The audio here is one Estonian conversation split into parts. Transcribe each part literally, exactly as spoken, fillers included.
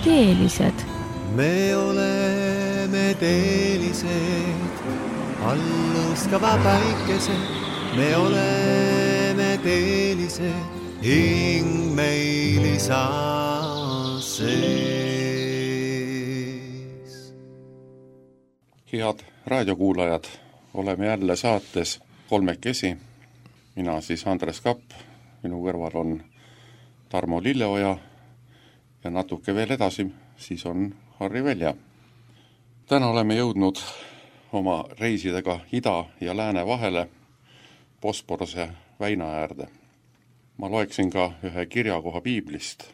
teelised. Me oleme teelised, alluskava päikesed. Me oleme teelised, hing meil isa sees. Head raadiokuulajad, oleme jälle saates kolmekesi. Mina siis Andres Kapp, minu kõrval on Tarmo Lilleoja ja natuke veel edasi siis on Harri Velja. Täna oleme jõudnud oma reisidega ida ja lääne vahele Bosporuse väina äärde. Ma loeksin ka ühe kirjakoha piiblist.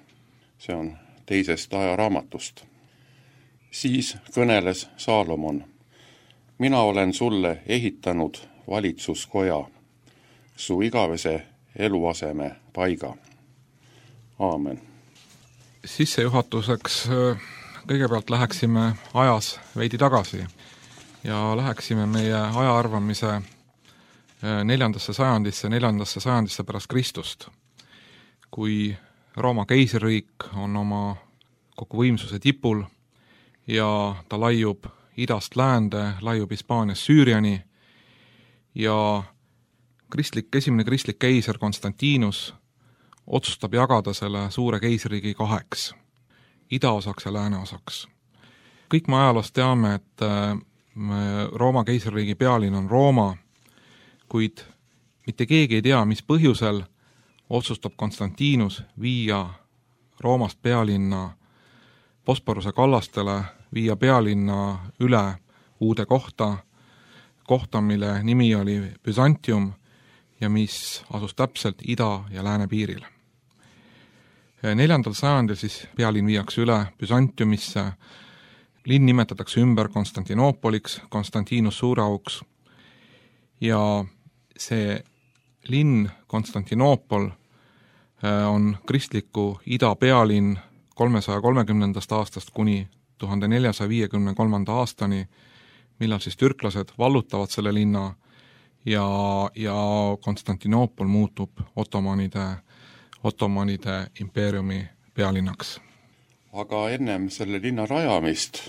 See on teisest ajaraamatust. Siis kõneles Saalomon. Mina olen sulle ehitanud valitsuskoja, su igavese eluaseme paiga. Aamen. Sissejuhatuseks kõigepealt läheksime ajas veidi tagasi ja läheksime meie ajaarvamise neljandasse sajandisse, neljandasse sajandisse pärast Kristust, kui Rooma keisririik on oma kogu võimsuse tipul ja ta laiub idast läände, laiub Hispaanias Süüriani ja kristlik, esimene kristlik keiser Konstantinus otsustab jagada selle suure keisririigi kaheks, idaosaks ja lääneosaks. Kõik me ajaloost teame, et Rooma keisririigi pealinn on Rooma, kuid mitte keegi ei tea, mis põhjusel otsustab Konstantinus viia Roomast pealinna Bosporuse kallastele, viia pealinna üle uude kohta, kohta, mille nimi oli Byzantium ja mis asus täpselt ida- ja lääne piiril. Neljandal sajandil siis pealinn viiakse üle Byzantiumisse, linn nimetatakse ümber Konstantinoopoliks, Konstantinus Suurauks ja see linn Konstantinoopol on kristliku ida pealinn kolmesaja kolmekümnendast aastast kuni tuhande neljasaja viiekümne kolmanda aastani, millal siis türklased vallutavad selle linna ja, ja Konstantinoopol muutub ottomanide, ottomanide impeeriumi pealinnaks. Aga ennem selle linna rajamist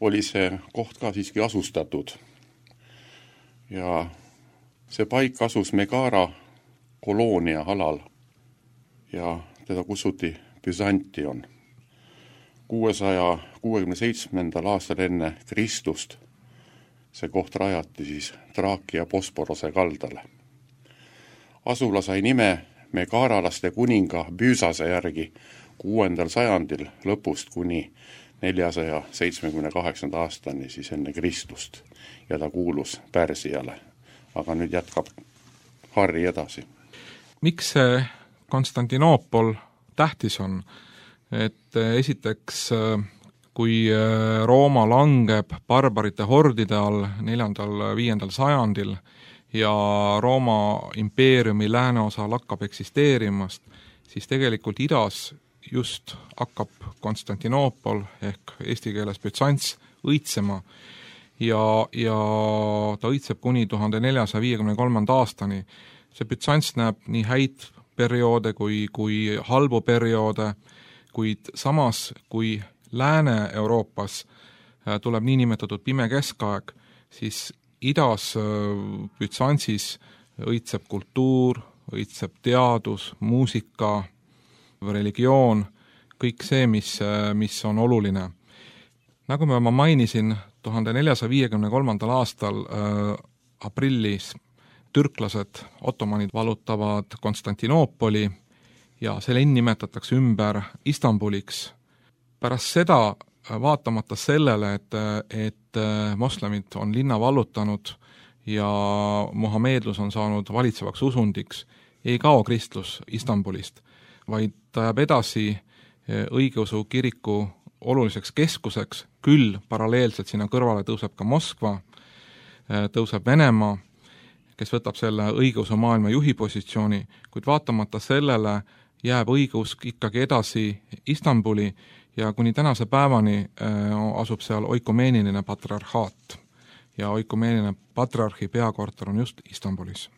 oli see koht ka siiski asustatud ja see paik asus Megara koloonia alal ja teda kutsuti Byzantion. kuuesaja kuuekümne seitsmendal aastal enne Kristust see koht rajati siis Traakia Bosporuse kaldale. Asula sai nime megaralaste kuninga Büüsase järgi kuuendal sajandil lõpust kuni neljasaja seitsmekümne kaheksanda aastani siis enne Kristust ja ta kuulus Pärsiale. Aga nüüd jätkab Harri edasi. Miks see Konstantinoopol tähtis on? Et esiteks, kui Rooma langeb barbarite hordide all neljandal, viiendal sajandil ja Rooma impeeriumi lääneosa lakkab eksisteerimast, siis tegelikult idas just hakkab Konstantinoopol ehk eesti keeles Byzants õitsema ja, ja ta õitseb kuni tuhande neljasaja viiekümne kolmanda aastani. See Byzants näeb nii häid perioode kui, kui halbu perioode, kuid samas kui Lääne-Euroopas tuleb nii nimetatud pime keskaeg, siis idas Byzantsis õitseb kultuur, õitseb teadus, muusika, religioon, kõik see, mis, mis on oluline. Nagu ma mainisin, tuhande neljasaja viiekümne kolmandal aastal äh, aprillis türklased, ottomanid vallutavad Konstantinoopoli ja see linn nimetatakse ümber Istanbuliks. Pärast seda, vaatamata sellele, et, et moslemid on linna vallutanud ja mohameedlus on saanud valitsevaks usundiks, ei kao kristlus Istanbulist, vaid ta jääb edasi õigeusu kiriku oluliseks keskuseks, küll paralleelselt sinna kõrvale tõuseb ka Moskva, tõuseb Venemaa, kes võtab selle õigeusu maailma juhi positsiooni, kuid vaatamata sellele jääb õigeusk ikkagi edasi Istanbuli ja kuni tänase päevani asub seal oikumeeniline patriarhaat ja oikumeeniline patriarhi peakorter on just Istanbulis.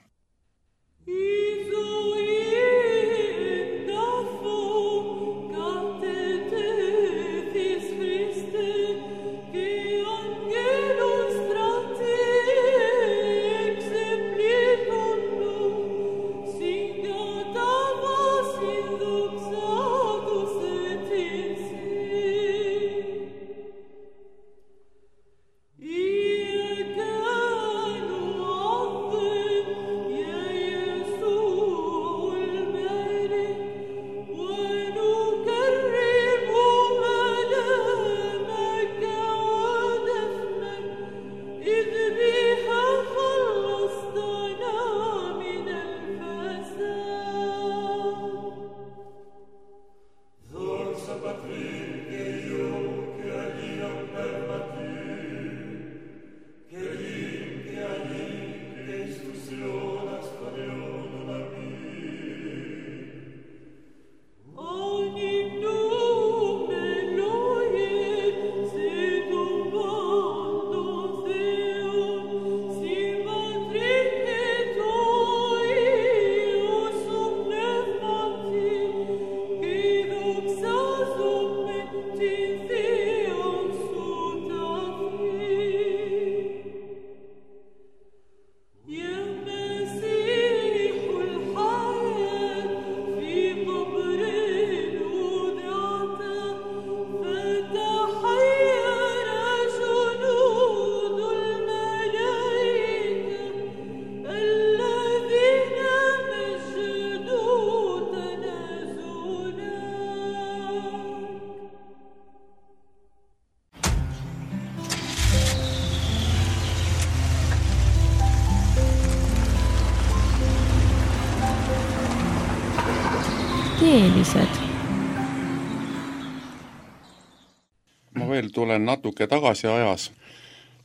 teelised? Ma veel tulen natuke tagasi ajas,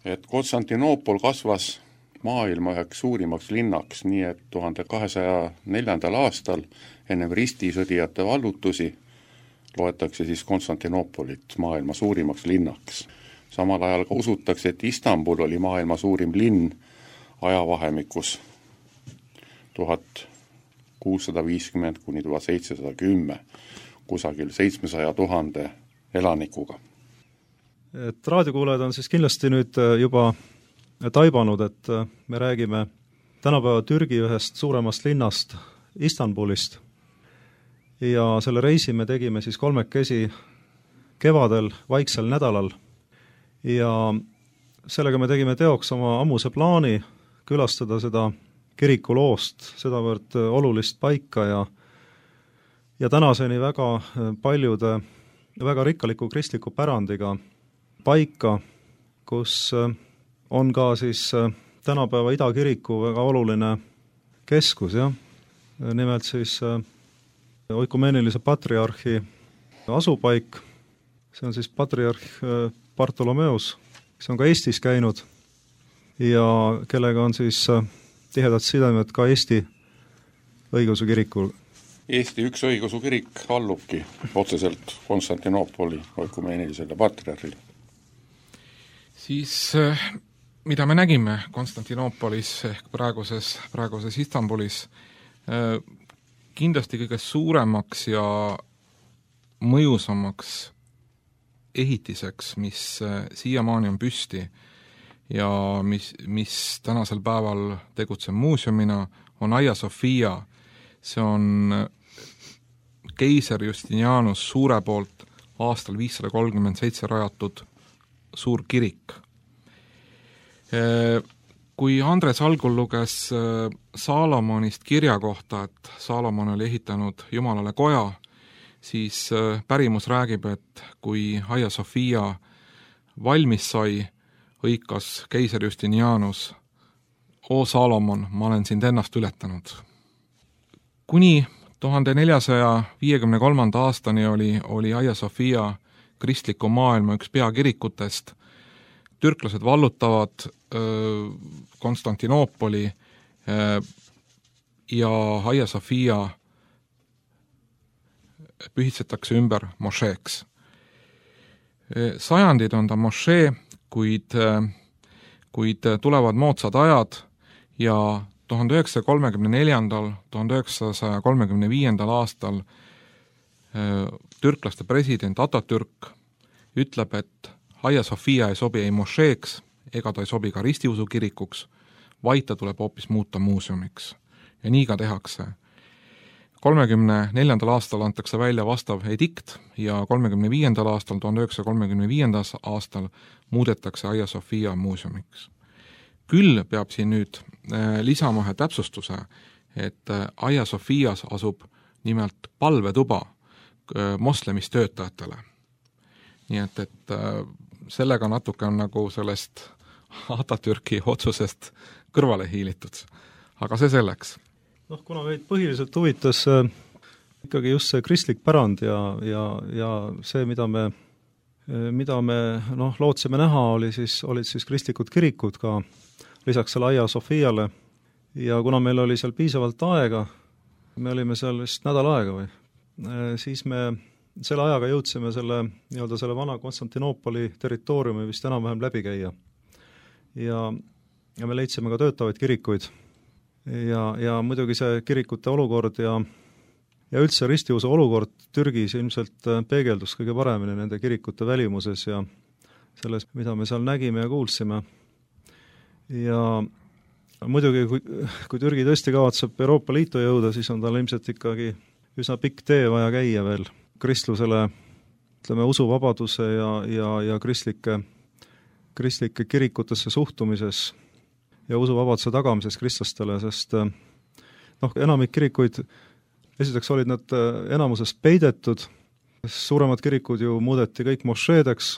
et Konstantinoopol kasvas maailma üheks suurimaks linnaks, nii et tuhande kahesaja neljandal aastal ennem ristisõdijate vallutusi loetakse siis Konstantinoopolit maailma suurimaks linnaks. Samal ajal ka usutakse, et Istanbul oli maailma suurim linn ajavahemikus tuhat kuussada viiskümmend kuni tuhat seitsesada kümme, kusagil seitsmesaja tuhande elanikuga. Et raadiokuulajad on siis kindlasti nüüd juba taibanud, et me räägime tänapäeva Türgi ühest suuremast linnast Istanbulist ja selle reisi me tegime siis kolmekesi kevadel vaiksel nädalal ja sellega me tegime teoks oma ammuse plaani külastada seda kirikuloost, sedavõrd olulist paika ja ja tänaseni väga paljude väga rikkaliku kristliku pärandiga paika, kus on ka siis tänapäeva Idakiriku väga oluline keskus, jah. Nimelt siis oikumeenilise patriarhi asupaik, see on siis patriarh Bartolomeus, kes on ka Eestis käinud ja kellega on siis tihedad sidemed ka Eesti õigeusu kirikul. Eesti üks õigeusu kirik allubki otseselt Konstantinoopoli oikumeenilisele patriarhile. Siis mida me nägime Konstantinoopolis ehk praeguses, praeguses Istanbulis, kindlasti kõige suuremaks ja mõjusamaks ehitiseks, mis siiamaani on püsti ja mis, mis tänasel päeval tegutseb muuseumina, on Hagia Sophia. See on keiser Justinianus suure poolt aastal viissada kolmkümmend seitse rajatud suur kirik. Kui Andres algul luges Saalomonist kirja kohta, et Saalomon oli ehitanud Jumalale koja, siis pärimus räägib, et kui Hagia Sophia valmis sai, hõikas keiser Justinianus: "O Saalomon, ma olen sind ennast ületanud." Kuni tuhande neljasaja viiekümne kolmanda aastani oli, oli Hagia Sophia kristliku maailma üks peakirikutest. Türklased vallutavad öö, Konstantinoopoli öö, ja Hagia Sophia pühitsetakse ümber mošeeks. Sajandid on ta mošee, kuid, kuid tulevad moodsad ajad ja tuhande üheksasaja kolmekümne neljandal, tuhande üheksasaja kolmekümne viiendal aastal türklaste president Atatürk ütleb, et Hagia Sophia ei sobi ei mošeeks ega ta ei sobi ka ristiusu kirikuks, vaid ta tuleb hoopis muuta muuseumiks. Ja nii ka tehakse. kolmekümne neljandal aastal antakse välja vastav edikt ja kolmekümne viiendal aastal, tuhande üheksasaja kolmekümne viiendal aastal muudetakse Hagia Sophia muuseumiks. Küll peab siin nüüd lisama ühe täpsustuse, et Hagia Sophias asub nimelt palvetuba moslemistöötajatele. Nii et, et sellega natuke on nagu sellest Atatürki otsusest kõrvale hiilitud. Aga see selleks. Noh, kuna meid põhiliselt huvitas äh, ikkagi just see kristlik pärand ja, ja, ja see, mida me, mida me noh, lootsime näha, oli siis, olid siis kristlikud kirikud ka lisaks selle Hagia Sophiale ja kuna meil oli seal piisavalt aega, me olime seal vist nädal aega või, siis me selle ajaga jõudsime selle, nii-öelda selle vana Konstantinoopoli territooriumi vist enam-vähem läbi käia. Ja, ja me leidsime ka töötavaid kirikuid. Ja, ja muidugi see kirikute olukord ja, ja üldse ristiusu olukord Türgis ilmselt peegeldus kõige paremini nende kirikute välimuses ja selles, mida me seal nägime ja kuulsime. Ja muidugi, kui, kui Türgi tõesti kavatseb Euroopa Liitu jõuda, siis on tal ilmselt ikkagi üsna pikk tee vaja käia veel kristlusele, ütleme, usuvabaduse ja, ja, ja kristlike, kristlike kirikutesse suhtumises ja usuvabaduse tagamises kristlastele, sest noh, enamik kirikuid, esiteks olid nad enamuses peidetud, suuremad kirikud ju muudeti kõik mošeedeks,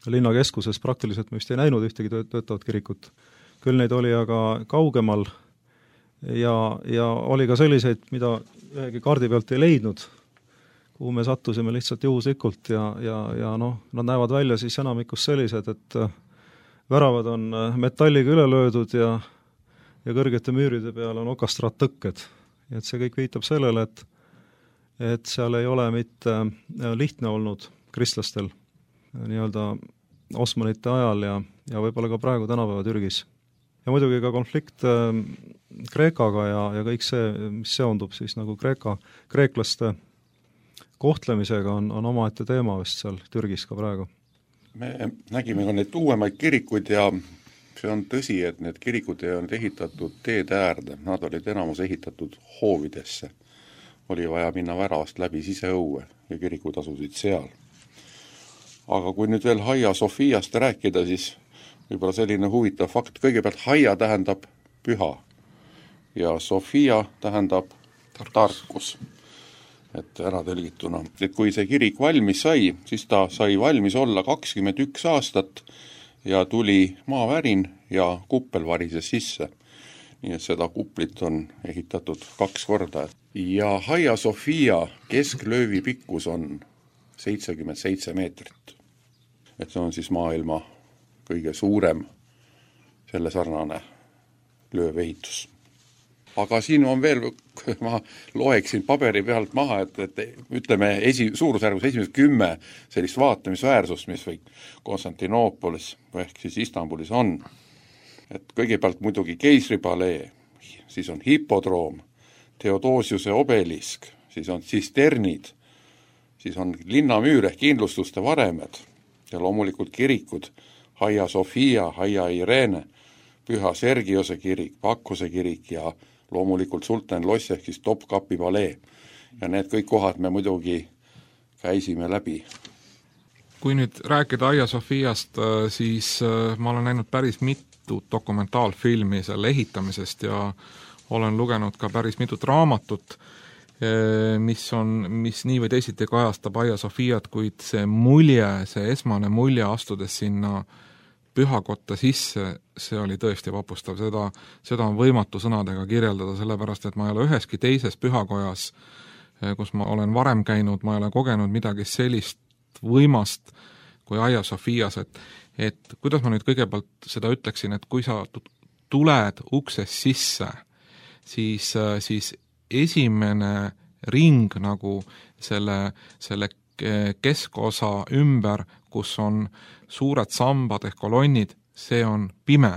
linnakeskuses praktiliselt me vist ei näinud ühtegi töötavat kirikut, küll neid oli aga kaugemal ja, ja oli ka selliseid, mida ühegi kaardi pealt ei leidnud, kuhu me sattusime lihtsalt juhuslikult ja, ja, ja noh, nad näevad välja siis enamikus sellised, et väravad on metalliga üle löödud ja, ja kõrgete müüride peal on okastraattõkked. Et see kõik viitab sellele, et, et seal ei ole mitte lihtne olnud kristlastel nii-öelda Osmanite ajal ja, ja võib-olla ka praegu tänapäeva Türgis. Ja muidugi ka konflikt äh, Kreekaga ja, ja kõik see, mis seondub siis nagu Kreeka, kreeklaste kohtlemisega on, on omaette teema vist seal Türgis ka praegu. Me nägime ka need uuemaid kirikuid ja see on tõsi, et need kirikud ei olnud ehitatud teede äärde, nad olid enamus ehitatud hoovidesse. Oli vaja minna väravast läbi siseõue ja kirikud asusid seal. Aga kui nüüd veel Hagia Sofiast rääkida, siis võib-olla selline huvitav fakt, kõigepealt Hagia tähendab püha ja Sofia tähendab tarkus, tarkus. Et ära tõlgituna. Et kui see kirik valmis sai, siis ta sai valmis olla kakskümmend üks aastat ja tuli maavärin ja kuppel varises sisse. Nii et seda kuplit on ehitatud kaks korda. Ja Hagia Sofia kesklöövi pikkus on seitsekümmend seitse meetrit. Et see on siis maailma kõige suurem selle sarnane löövehitus. Aga siin on veel, ma loeksin paberi pealt maha, et, et ütleme esi, suurusjärgus esimesed kümme sellist vaatamisväärsust, mis või Konstantinoopolis või ehk siis Istanbulis on. Et kõigepealt muidugi keisripalee, siis on hipodroom, Theodosiuse obelisk, siis on tsisternid, siis on linnamüür ehk kindlustuste varemed ja loomulikult kirikud, Hagia Sofia, Hagia Irene, Püha Sergiose kirik, Pakkuse kirik ja loomulikult Sultan Loss ehk siis Topkapi palee. Ja need kõik kohad me muidugi käisime läbi. Kui nüüd rääkida Hagia Sofiast, siis ma olen näinud päris mitut dokumentaalfilmi selle ehitamisest ja olen lugenud ka päris mitut raamatut, mis on, mis nii või teisiti kajastab Hagia Sofiat, kuid see mulje, see esmane mulje astudes sinna pühakotta sisse, see oli tõesti vapustav, seda, seda on võimatu sõnadega kirjeldada, sellepärast et ma ei ole üheski teises pühakojas, kus ma olen varem käinud, ma ei ole kogenud midagi sellist võimast kui Hagia Sofias, et, et kuidas ma nüüd kõigepealt seda ütleksin, et kui sa tuled uksest sisse, siis, siis esimene ring nagu selle, selle keskosa ümber, kus on suured sambad ehk kolonnid, see on pime.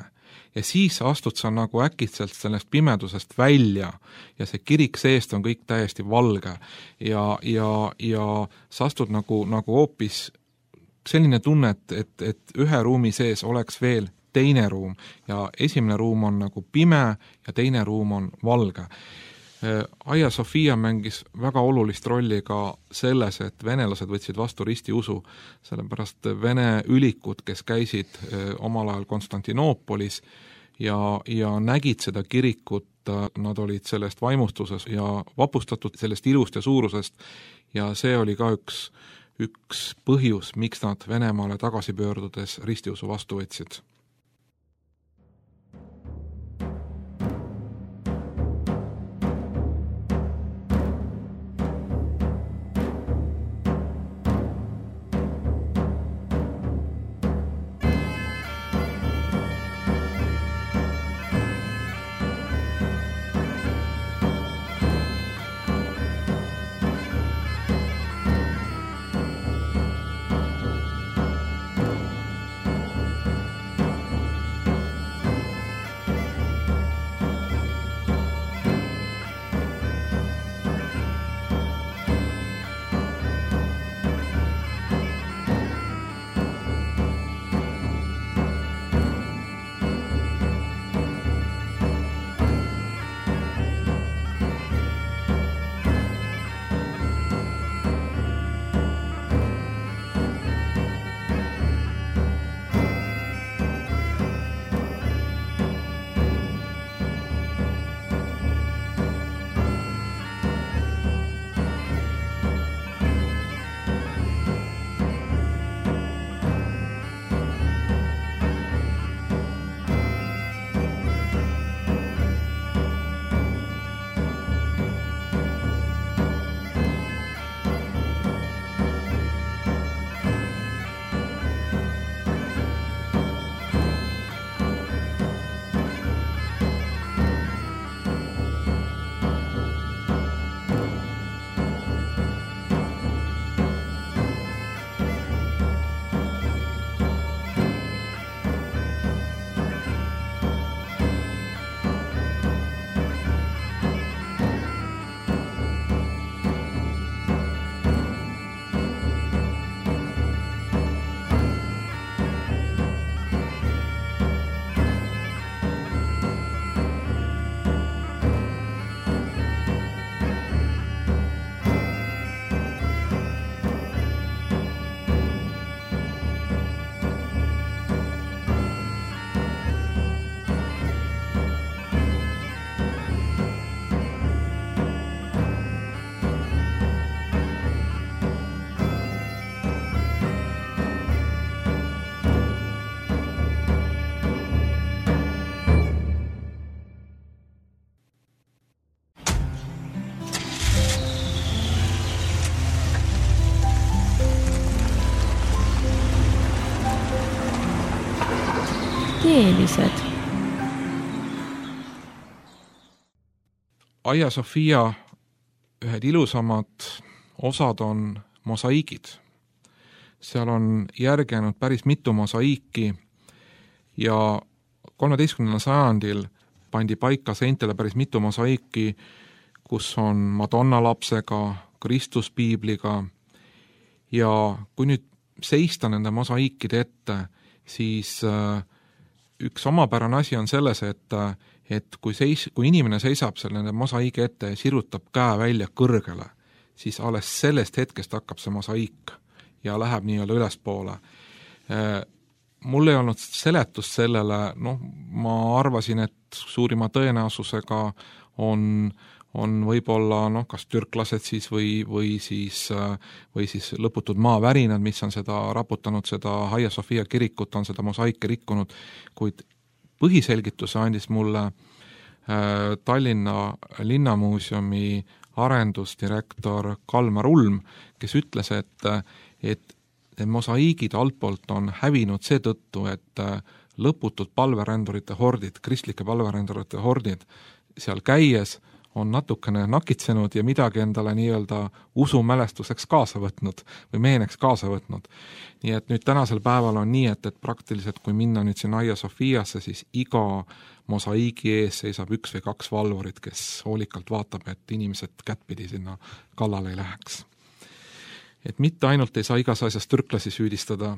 Ja siis astud sa nagu äkitselt sellest pimedusest välja ja see kirik seest on kõik täiesti valge ja, ja, ja sa astud nagu, nagu hoopis selline tunne, et, et, et ühe ruumi sees oleks veel teine ruum ja esimene ruum on nagu pime ja teine ruum on valge. Hagia Sofia mängis väga olulist rolli ka selles, et venelased võtsid vastu ristiusu, sellepärast vene ülikud, kes käisid omal ajal Konstantinoopolis ja, ja nägid seda kirikut, nad olid sellest vaimustuses ja vapustatud sellest ilust ja suurusest ja see oli ka üks, üks põhjus, miks nad Venemaale tagasi pöördudes ristiusu vastu võtsid. mosaigieelised? Hagia Sophia ühed ilusamad osad on mosaiigid. Seal on järgenud päris mitu mosaiiki ja kolmeteistkümnendal sajandil pandi paika seintele päris mitu mosaiiki, kus on Madonna lapsega, Kristus piibliga ja kui nüüd seista nende mosaiikide ette, siis üks omapärane asi on selles, et, et kui, seis, kui inimene seisab selle nende mosaiigi ette ja sirutab käe välja kõrgele, siis alles sellest hetkest hakkab see mosaiik ja läheb nii-öelda ülespoole. Mul ei olnud seletust sellele, noh, ma arvasin, et suurima tõenäosusega on, on võib-olla noh, kas türklased siis või, või, siis, või siis lõputud maavärinad, mis on seda raputanud, seda Hagia Sophia kirikut, on seda mosaike rikkunud, kuid põhiselgituse andis mulle äh, Tallinna linnamuuseumi arendusdirektor Kalmar Ulm, kes ütles, et, et need mosaiigid altpoolt on hävinud seetõttu, et lõputud palverändurite hordid, kristlike palverändurite hordid seal käies on natukene nakitsenud ja midagi endale nii-öelda usumälestuseks kaasa võtnud või meeneks kaasa võtnud. Nii et nüüd tänasel päeval on nii, et, et praktiliselt kui minna nüüd siin Hagia Sophiasse, siis iga mosaiigi ees seisab üks või kaks valvurit, kes hoolikalt vaatab, et inimesed kättpidi sinna kallale ei läheks. Et mitte ainult ei saa igas asjas türklasi süüdistada,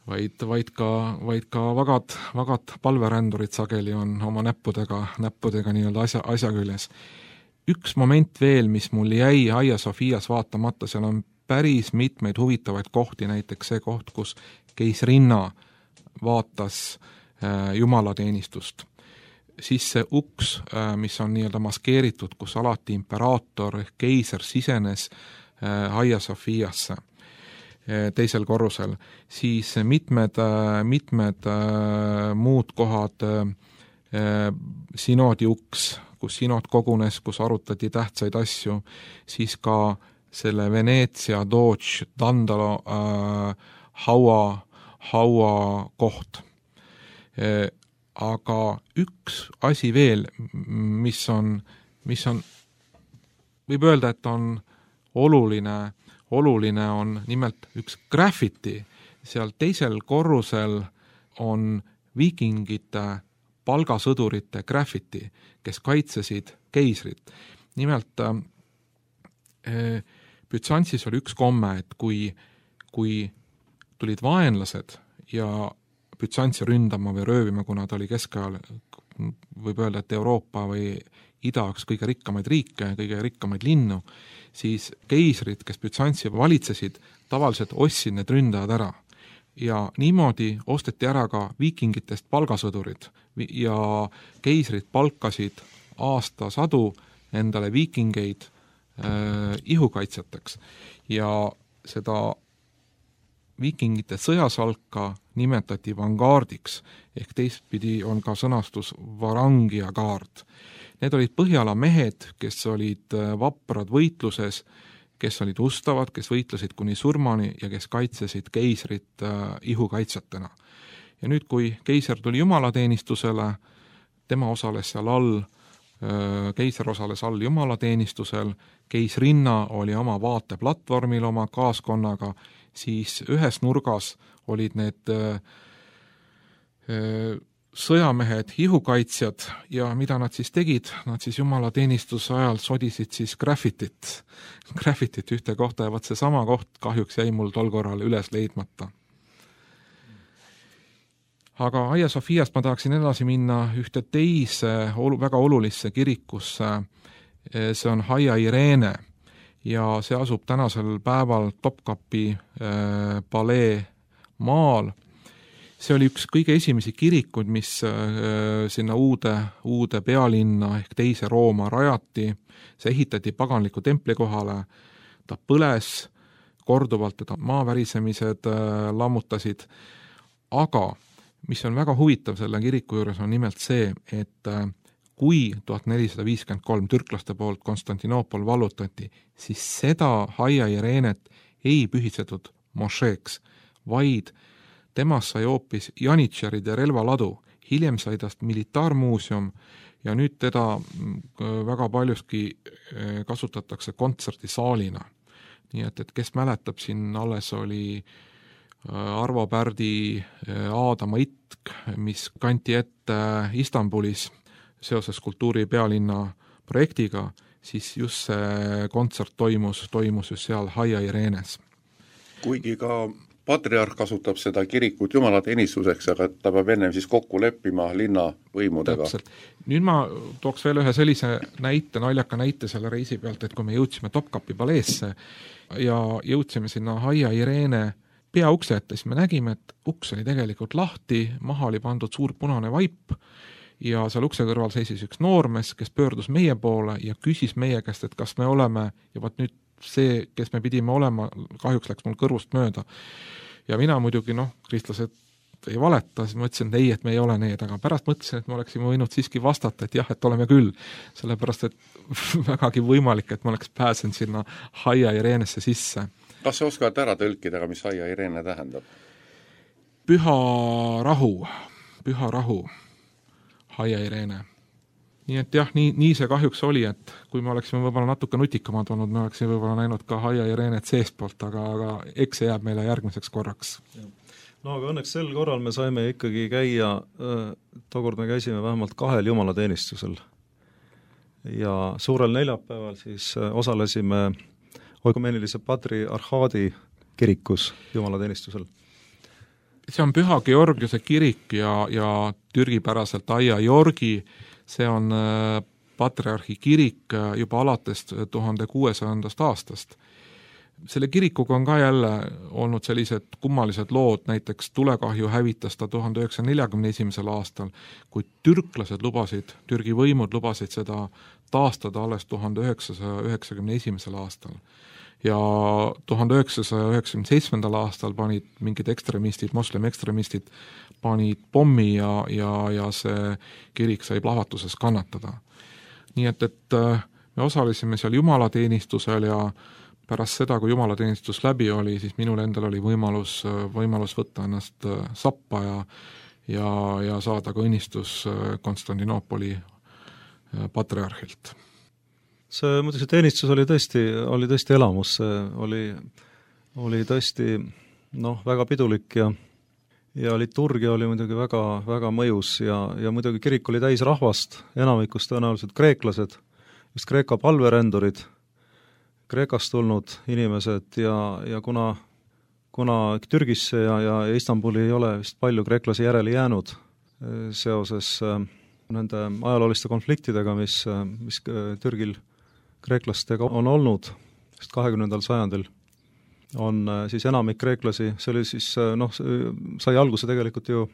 vaid, vaid ka, vaid ka vagad, vagad palverändurid sageli on oma näppudega, näppudega nii-öelda asja, asja küljes. Üks moment veel, mis mul jäi Hagia Sophias vaatamata, seal on päris mitmeid huvitavaid kohti, näiteks see koht, kus keisrinna vaatas äh, jumalateenistust. Siis see uks, äh, mis on nii-öelda maskeeritud, kus alati imperaator ehk keiser sisenes Hagia Sophiasse teisel korrusel, siis mitmed, mitmed muud kohad, sinodi uks, kus sinod kogunes, kus arutati tähtsaid asju, siis ka selle Veneetsia Doge Dandalo äh, haua, haua koht. Aga üks asi veel, mis on, mis on, võib öelda, et on oluline, oluline on nimelt üks graffiti. Seal teisel korrusel on viikingite palgasõdurite graffiti, kes kaitsesid keisrit. Nimelt äh, Bütsantsis oli üks komme, et kui, kui tulid vaenlased ja Bütsantsi ründama või röövima, kuna ta oli keskajal, võib öelda, et Euroopa või ida üks kõige rikkamaid riike, kõige rikkamaid linnu, siis keisrid, kes Bütsantsi valitsesid, tavaliselt ostsid need ründajad ära. Ja niimoodi osteti ära ka viikingitest palgasõdurid ja keisrid palkasid aastasadu endale viikingeid äh, ihukaitsjateks. Ja seda viikingite sõjasalka nimetati vangaardiks, ehk teistpidi on ka sõnastus varangia kaard. Need olid Põhjala mehed, kes olid vaprad võitluses, kes olid ustavad, kes võitlesid kuni surmani ja kes kaitsesid keisrit äh, ihukaitsjatena. Ja nüüd, kui keiser tuli jumalateenistusele, tema osales seal all, äh, keiser osales all jumalateenistusel, keisrinna oli oma vaateplatvormil oma kaaskonnaga, siis ühes nurgas olid need äh, äh, sõjamehed, ihukaitsjad ja mida nad siis tegid? Nad siis jumalateenistuse ajal sodisid siis graffitit, graffitit ühte kohta ja vaat see sama koht kahjuks jäi mul tol korral üles leidmata. Aga Hagia Sophiast ma tahaksin edasi minna ühte teise väga olulisse kirikusse, see on Hagia Irene ja see asub tänasel päeval Topkapi äh, palee maal. See oli üks kõige esimesi kirikuid, mis äh, sinna uude, uude pealinna ehk teise Rooma rajati. See ehitati paganliku templi kohale, ta põles korduvalt, teda maavärisemised äh, lammutasid, aga mis on väga huvitav selle kiriku juures on nimelt see, et äh, kui tuhat nelisada viiskümmend kolm türklaste poolt Konstantinoopol vallutati, siis seda Hagia Irenet ei pühitsetud mošeeks, vaid temast sai hoopis janitšeride relvaladu, hiljem sai tast militaarmuuseum ja nüüd teda väga paljuski kasutatakse kontserdisaalina. Nii et, et kes mäletab, siin alles oli Arvo Pärdi Aadama itk, mis kanti ette Istanbulis seoses kultuuri pealinna projektiga, siis just see kontsert toimus, toimus just seal Haia Irenes. Kuigi ka patriarh kasutab seda kirikut jumalateenistuseks, aga ta peab ennem siis kokku leppima linna võimudega. Täpselt. Nüüd ma tooks veel ühe sellise näite, naljaka näite selle reisi pealt, et kui me jõudsime Topkapi paleesse ja jõudsime sinna Haia Irene peaukse ette, siis me nägime, et uks oli tegelikult lahti, maha oli pandud suur punane vaip ja seal ukse kõrval seisis üks noormees, kes pöördus meie poole ja küsis meie käest, et kas me oleme, ja vaat nüüd see, kes me pidime olema, kahjuks läks mul kõrvust mööda. Ja mina muidugi, noh, kristlased ei valeta, siis ma ütlesin, et ei, et me ei ole need, aga pärast mõtlesin, et me oleksime võinud siiski vastata, et jah, et oleme küll, sellepärast, et vägagi võimalik, et ma oleks pääsenud sinna Haia Irenesse sisse. Kas sa oskad ära tõlkida, mis Haia Irene tähendab? Püha rahu, püha rahu, Haia Irene. Nii et jah, nii, nii see kahjuks oli, et kui me oleksime võib-olla natuke nutikamad olnud, me oleksime võib-olla näinud ka Haia Irenet seestpoolt, aga, aga eks see jääb meile järgmiseks korraks. No aga õnneks sel korral me saime ikkagi käia, tookord me käisime vähemalt kahel jumalateenistusel ja suurel neljapäeval siis osalesime Oikumeenilise patriarhaadi kirikus jumalateenistusel. See on Püha Georgiuse kirik ja, ja türgipäraselt Haia Jorgi, see on patriarhi kirik juba alates tuhande kuuesajandast aastast. Selle kirikuga on ka jälle olnud sellised kummalised lood, näiteks tulekahju hävitas ta tuhande üheksasaja neljakümne esimesel aastal, kui türklased lubasid, Türgi võimud lubasid seda taastada alles tuhande üheksasaja üheksakümne esimesel aastal. Ja tuhande üheksasaja üheksakümne seitsmendal aastal panid mingid ekstremistid, moslem ekstremistid, panid pommi ja, ja, ja see kirik sai plahvatuses kannatada. Nii et, et me osalesime seal jumalateenistusel ja pärast seda, kui jumalateenistus läbi oli, siis minul endal oli võimalus, võimalus võtta ennast sappa ja, ja, ja saada ka õnnistus Konstantinoopoli patriarhilt. See, muidugi see teenistus oli tõesti, oli tõesti elamus, see oli, oli tõesti noh, väga pidulik ja, ja liturgia oli muidugi väga, väga mõjus ja, ja muidugi kirik oli täis rahvast, enamikus tõenäoliselt kreeklased, just Kreeka palverendurid, Kreekast tulnud inimesed ja, ja kuna, kuna Türgisse ja, ja Istanbuli ei ole vist palju kreeklasi järele jäänud seoses nende ajalooliste konfliktidega, mis, mis Türgil kreeklastega on olnud, sest kahekümnendal sajandil on siis enamik kreeklasi, see oli siis, noh, sai alguse tegelikult ju,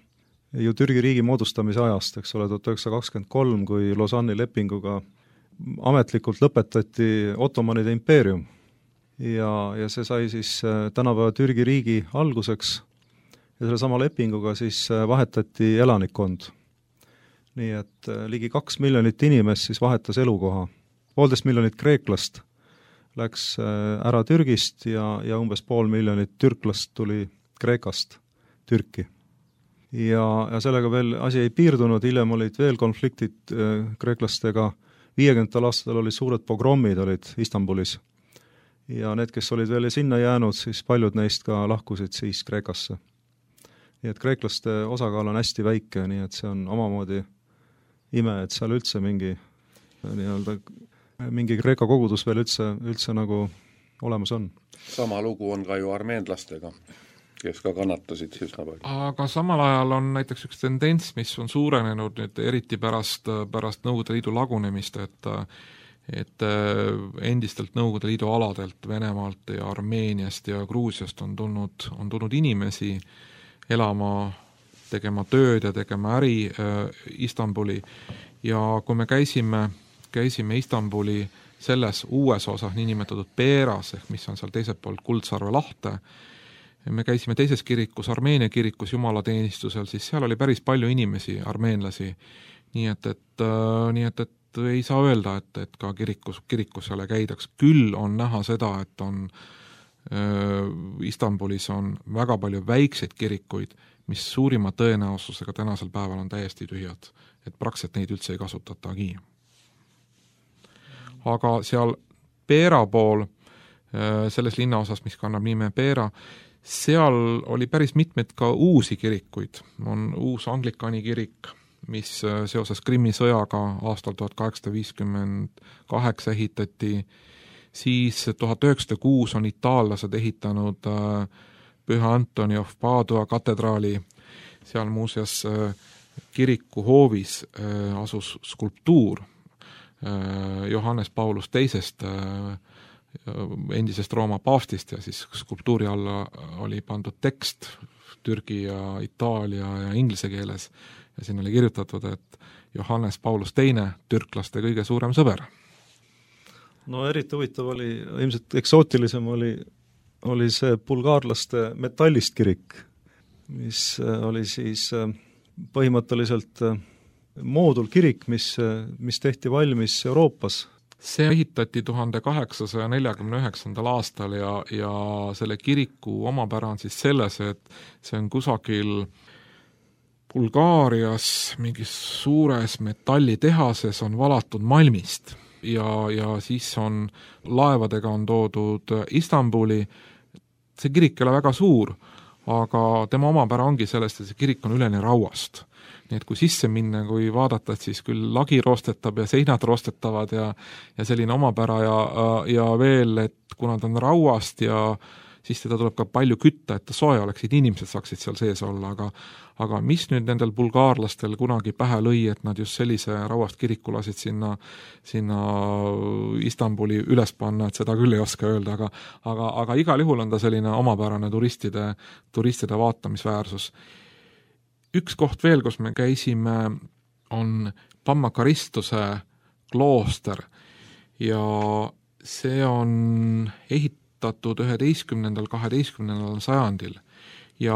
ju Türgi riigi moodustamise ajast, eks ole, tuhat üheksasada kakskümmend kolm, kui Lausanne'i lepinguga ametlikult lõpetati Ottomanide impeerium ja, ja see sai siis tänapäeva Türgi riigi alguseks ja selle sama lepinguga siis vahetati elanikkond. Nii et ligi kaks miljonit inimest siis vahetas elukoha. Poolteist miljonit kreeklast läks ära Türgist ja, ja umbes pool miljonit türklast tuli Kreekast Türki. Ja, ja sellega veel asi ei piirdunud, hiljem olid veel konfliktid kreeklastega. viiekümnendatel aastatel olid suured pogrommid olid Istanbulis ja need, kes olid veel sinna jäänud, siis paljud neist ka lahkusid siis Kreekasse. Nii et kreeklaste osakaal on hästi väike, nii et see on omamoodi ime, et seal üldse mingi nii-öelda mingi Kreeka kogudus veel üldse, üldse nagu olemas on. Sama lugu on ka ju armeenlastega, kes ka kannatasid üsna palju. Aga samal ajal on näiteks üks tendents, mis on suurenenud nüüd eriti pärast, pärast Nõukogude Liidu lagunemist, et, et endistelt Nõukogude Liidu aladelt, Venemaalt ja Armeeniast ja Gruusiast on tulnud, on tulnud inimesi elama, tegema tööd ja tegema äri äh, Istanbuli ja kui me käisime käisime Istanbuli selles uues osas, niinimetatud Peeras, ehk mis on seal teiselt poolt Kuldsarve lahte. Me käisime teises kirikus, Armeenia kirikus jumalateenistusel, siis seal oli päris palju inimesi, armeenlasi. Nii et, et, nii et, et ei saa öelda, et, et ka kirikus, kirikus selle käidaks. Küll on näha seda, et on Istanbulis on väga palju väikseid kirikuid, mis suurima tõenäosusega tänasel päeval on täiesti tühjad, et praktiliselt neid üldse ei kasutatagi. Aga seal Pera pool, selles linnaosas, mis kannab nime Pera, seal oli päris mitmeid ka uusi kirikuid. On uus Anglikani kirik, mis seoses Krimmi sõjaga aastal tuhat kaheksasada viiskümmend kaheksa ehitati, siis tuhat üheksasada kuus on itaallased ehitanud Püha Antoni of Padua katedraali, seal muuseas kiriku hoovis asus skulptuur Johannes Paulus teisest endisest Rooma paavstist ja siis skulptuuri alla oli pandud tekst türgi ja itaalia ja inglise keeles ja siin oli kirjutatud, et Johannes Paulus teine, türklaste kõige suurem sõber. No eriti huvitav oli, ilmselt eksootilisem oli, oli see bulgaarlaste metallist kirik, mis oli siis põhimõtteliselt moodulkirik, mis, mis tehti valmis Euroopas. See ehitati tuhande kaheksasaja neljakümne üheksandal aastal ja, ja selle kiriku omapära on siis selles, et see on kusagil Bulgaarias mingis suures metallitehases on valatud malmist ja, ja siis on laevadega on toodud Istanbuli. See kirik ei ole väga suur, aga tema omapära ongi sellest, et see kirik on üleni rauast. Nii et kui sisse minna, kui vaadata, et siis küll lagi roostetab ja seinad roostetavad ja, ja selline omapära ja, ja veel, et kuna ta on rauast ja siis teda tuleb ka palju kütta, et ta soe oleks, et inimesed saaksid seal sees olla, aga, aga mis nüüd nendel bulgaarlastel kunagi pähe lõi, et nad just sellise rauast kiriku lasid sinna, sinna Istanbuli üles panna, et seda küll ei oska öelda, aga, aga, aga igal juhul on ta selline omapärane turistide, turistide vaatamisväärsus. Üks koht veel, kus me käisime, on Pammakaristuse klooster ja see on ehitatud üheteistkümnendal, kaheteistkümnendal sajandil ja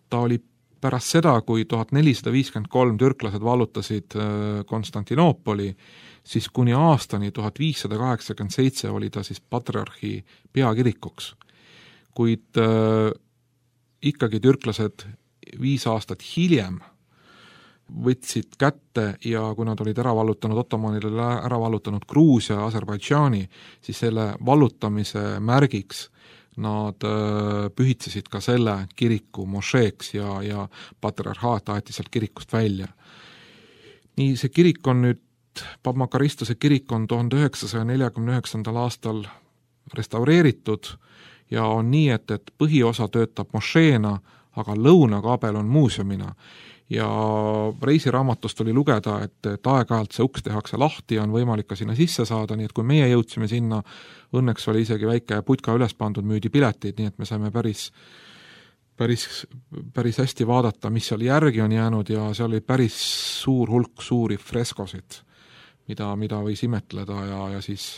ta oli pärast seda, kui tuhat nelisada viiskümmend kolm türklased vallutasid Konstantinoopoli, siis kuni aastani tuhat viissada kaheksakümmend seitse oli ta siis patriarhi peakirikuks. Kuid äh, ikkagi türklased viis aastat hiljem võtsid kätte ja kui nad olid ära vallutanud Ottomanile, ära vallutanud Gruusia ja Aserbaidžaani, siis selle vallutamise märgiks nad pühitsesid ka selle kiriku mošeeks ja, ja patriarhaat aeti sealt kirikust välja. Nii see kirik on nüüd, Pammakaristuse kirik on tuhande üheksasaja neljakümne üheksandal aastal restaureeritud ja on nii, et, et põhiosa töötab mošeena, aga lõunakaabel on muuseumina ja reisiraamatust oli lugeda, et, et aeg-ajalt see uks tehakse lahti ja on võimalik ka sinna sisse saada, nii et kui meie jõudsime sinna, õnneks oli isegi väike putka üles pandud, müüdi piletid, nii et me saime päris, päris, päris hästi vaadata, mis seal järgi on jäänud ja seal oli päris suur hulk suuri freskosid, mida, mida võis imetleda ja, ja siis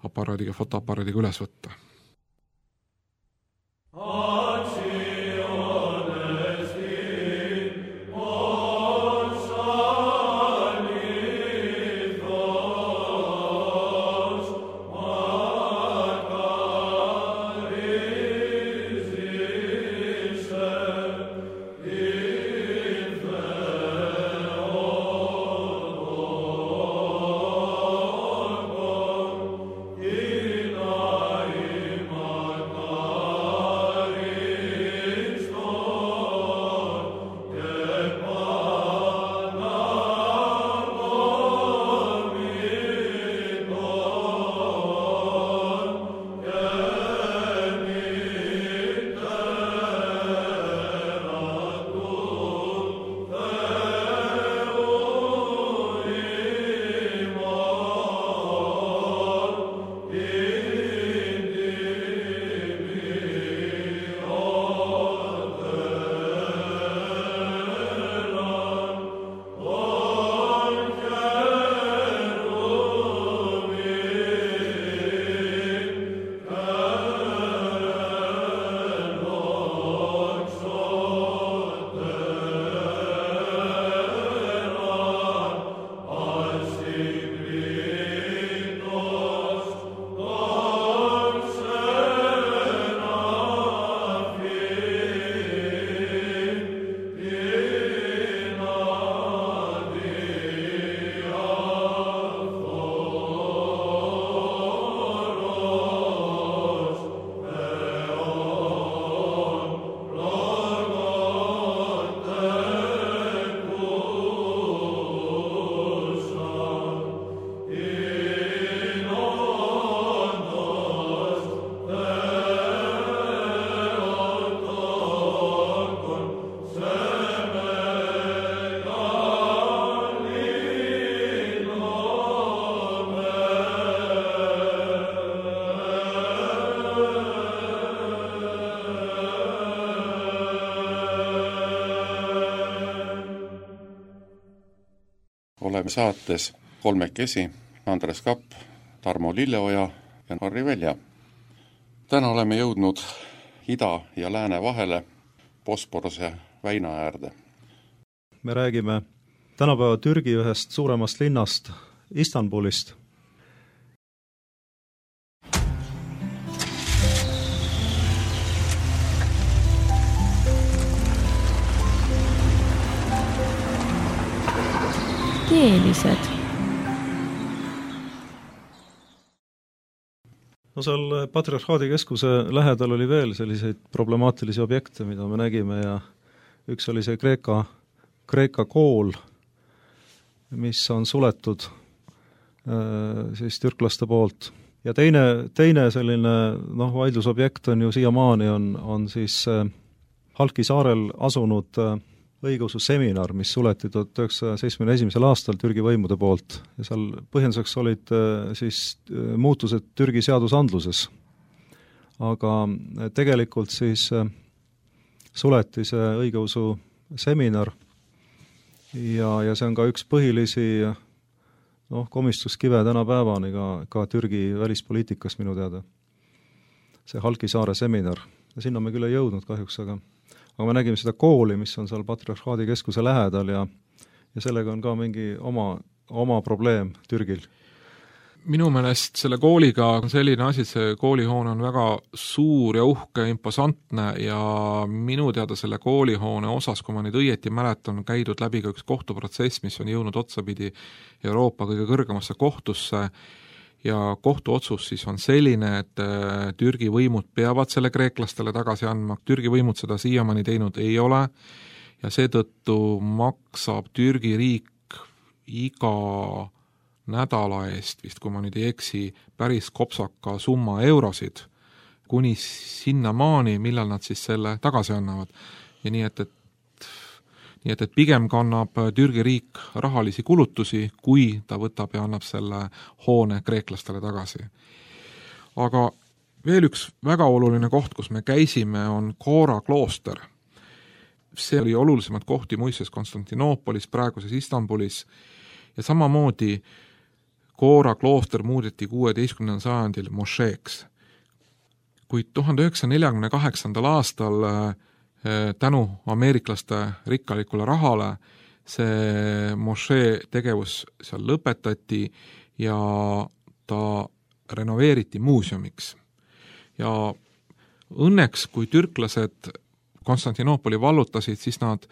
aparaadiga, fotoaparaadiga üles võtta. oleme saates kolmekesi, Andres Kapp, Tarmo Lilleoja ja Harri Velja. Täna oleme jõudnud ida ja lääne vahele Bosporuse väina äärde. Me räägime tänapäeva Türgi ühest suuremast linnast, Istanbulist. Keelised. No seal Patriarhaadi keskuse lähedal oli veel selliseid problemaatilisi objekte, mida me nägime ja üks oli see Kreeka, Kreeka kool, mis on suletud siis türklaste poolt. Ja teine, teine selline noh, vaidlusobjekt on ju siiamaani on, on siis Halki saarel asunud õigeusu seminar, mis suleti tuhat üheksasaja seitsmekümne esimesel aastal Türgi võimude poolt ja seal põhjenduseks olid siis muutused Türgi seadusandluses. Aga tegelikult siis suleti see õigeusu seminar ja, ja see on ka üks põhilisi noh, komistuskive tänapäevani ka, ka Türgi välispoliitikas minu teada. See Halki saare seminar. Ja sinna me küll ei jõudnud kahjuks, aga aga me nägime seda kooli, mis on seal Patriarhaadi keskuse lähedal ja, ja sellega on ka mingi oma, oma probleem Türgil. Minu meelest selle kooliga on selline asi, see koolihoone on väga suur ja uhke, imposantne ja minu teada selle koolihoone osas, kui ma nüüd õieti mäletan, käidud läbi ka üks kohtuprotsess, mis on jõudnud otsapidi Euroopa kõige kõrgemasse kohtusse ja kohtuotsus siis on selline, et Türgi võimud peavad selle kreeklastele tagasi andma, Türgi võimud seda siiamaani teinud ei ole ja seetõttu maksab Türgi riik iga nädala eest, vist kui ma nüüd ei eksi, päris kopsaka summa eurosid, kuni sinnamaani, millal nad siis selle tagasi annavad. Ja nii et, et Nii et, et pigem kannab Türgi riik rahalisi kulutusi, kui ta võtab ja annab selle hoone kreeklastele tagasi. Aga veel üks väga oluline koht, kus me käisime, on Kora klooster. See oli olulisemad kohti muistes Konstantinoopolis, praeguses Istanbulis ja samamoodi Kora klooster muudeti kuueteistkümnendal sajandil mošeeks. Kuid tuhande üheksasaja neljakümne kaheksandal aastal tänu ameeriklaste rikkalikule rahale see mošee tegevus seal lõpetati ja ta renoveeriti muuseumiks. Ja õnneks, kui türklased Konstantinoopoli vallutasid, siis nad